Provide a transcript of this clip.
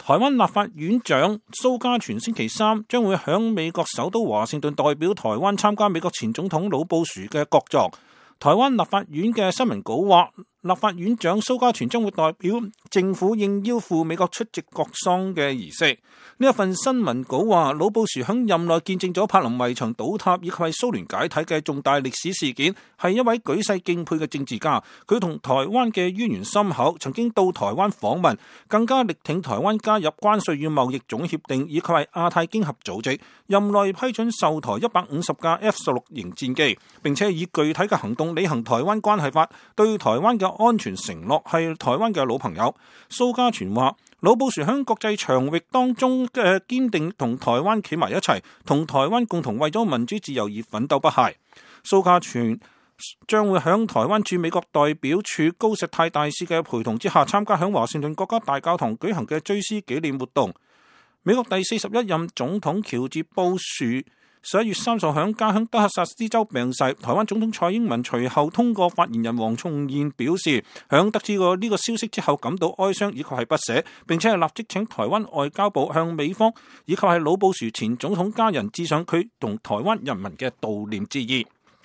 台灣立法院長蘇嘉全星期三將會響美國首都華盛頓代表台灣參加美國前總統老布殊嘅國葬。台灣立法院嘅新聞稿話，立法院長蘇嘉全將會代表政府應邀赴美國出席國喪嘅儀式。呢一份新聞稿話，老布殊響任內見證咗柏林圍牆倒塌以及係蘇聯解體嘅重大歷史事件，係一位舉世敬佩嘅政治家。佢同台灣嘅淵源深厚，曾經到台灣訪問，更加力挺台灣加入關稅與貿易總協定以及係亞太經合組織。任內批准售台150架 F-16型戰機，並且以具體嘅行動履行台灣關係法對台灣嘅安全承諾，係台灣嘅老朋友。蘇嘉全話，老布殊喺國際場域當中嘅堅定同台灣企埋一齊，同台灣共同為咗民主自由而奮鬥不懈。蘇嘉全將會喺台灣駐美國代表處高石泰大使嘅陪同之下，參加喺華盛頓國家大教堂舉行嘅追思紀念活動。美國第41任總統喬治布殊11月30號喺家鄉德克薩斯州病逝。台灣總統蔡英文隨後通過發言人黃崇賢表示，響得知過呢個消息之後感到哀傷以及係不捨，並且係立即請台灣外交部向美方以及係老布殊前總統家人致上佢同台灣人民嘅悼念之意。